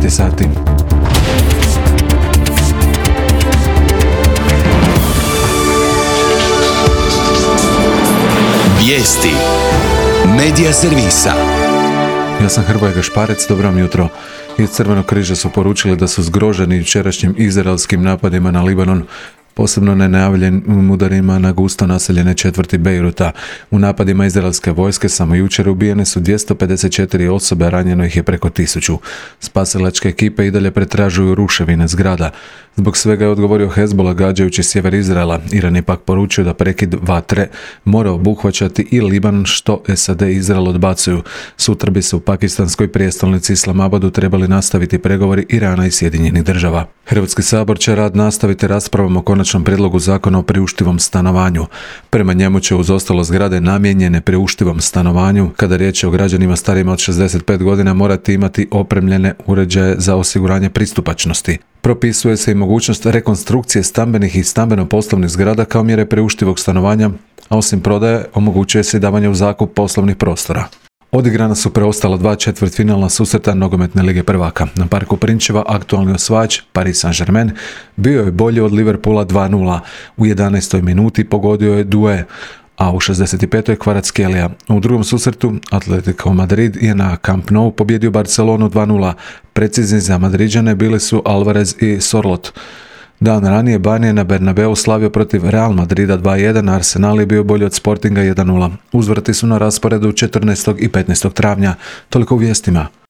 9 sati. Vijesti Medija servisa. Ja sam Hrvoje Gašparec, dobro vam jutro. Iz Crvenog križa su poručili da su zgroženi jučerašnjim izraelskim napadima na Libanon, posebno nenajavljenim udarima na gusto naseljene četvrti Bejruta. U napadima izraelske vojske samo jučer ubijene su 254 osobe, a ranjeno ih je preko 1000. Spasilačke ekipe i dalje pretražuju ruševine zgrada. Zbog svega je odgovorio Hezbollah gađajući sjever Izraela. Iran je pak poručio da prekid vatre mora obuhvaćati i Libanon, što SAD i Izrael odbacuju. Sutra bi se u pakistanskoj prijestolnici Islamabadu trebali nastaviti pregovori Irana i Sjedinjenih država. Hrvatski sabor će rad nastaviti raspravom o konačnom prijedlogu zakona o priuštivom stanovanju. Prema njemu će uz ostalo zgrade namijenjene priuštivom stanovanju, kada riječ je o građanima starijima od 65 godina, morati imati opremljene uređaje za osiguranje pristupačnosti. Propisuje se i mogućnost rekonstrukcije stambenih i stambeno-poslovnih zgrada kao mjere priuštivog stanovanja, a osim prodaje omogućuje se i davanje u zakup poslovnih prostora. Odigrana su preostala 2 četvrtfinalna susreta nogometne lige prvaka. Na Parku Prinčeva aktualni osvajač Paris Saint-Germain bio je bolji od Liverpoola 2:0. U 11. minuti pogodio je Doué, a u 65. Kvaratskhelia. U drugom susretu Atletico Madrid je na Camp Nou pobjedio Barcelonu 2:0. Precizni za Madriđane bili su Alvarez i Sorloth. Dan ranije Bani je na Bernabeu slavio protiv Real Madrida 2:1, a Arsenal je bio bolji od Sportinga 1:0. Uzvrati su na rasporedu 14. i 15. travnja. Toliko u vijestima.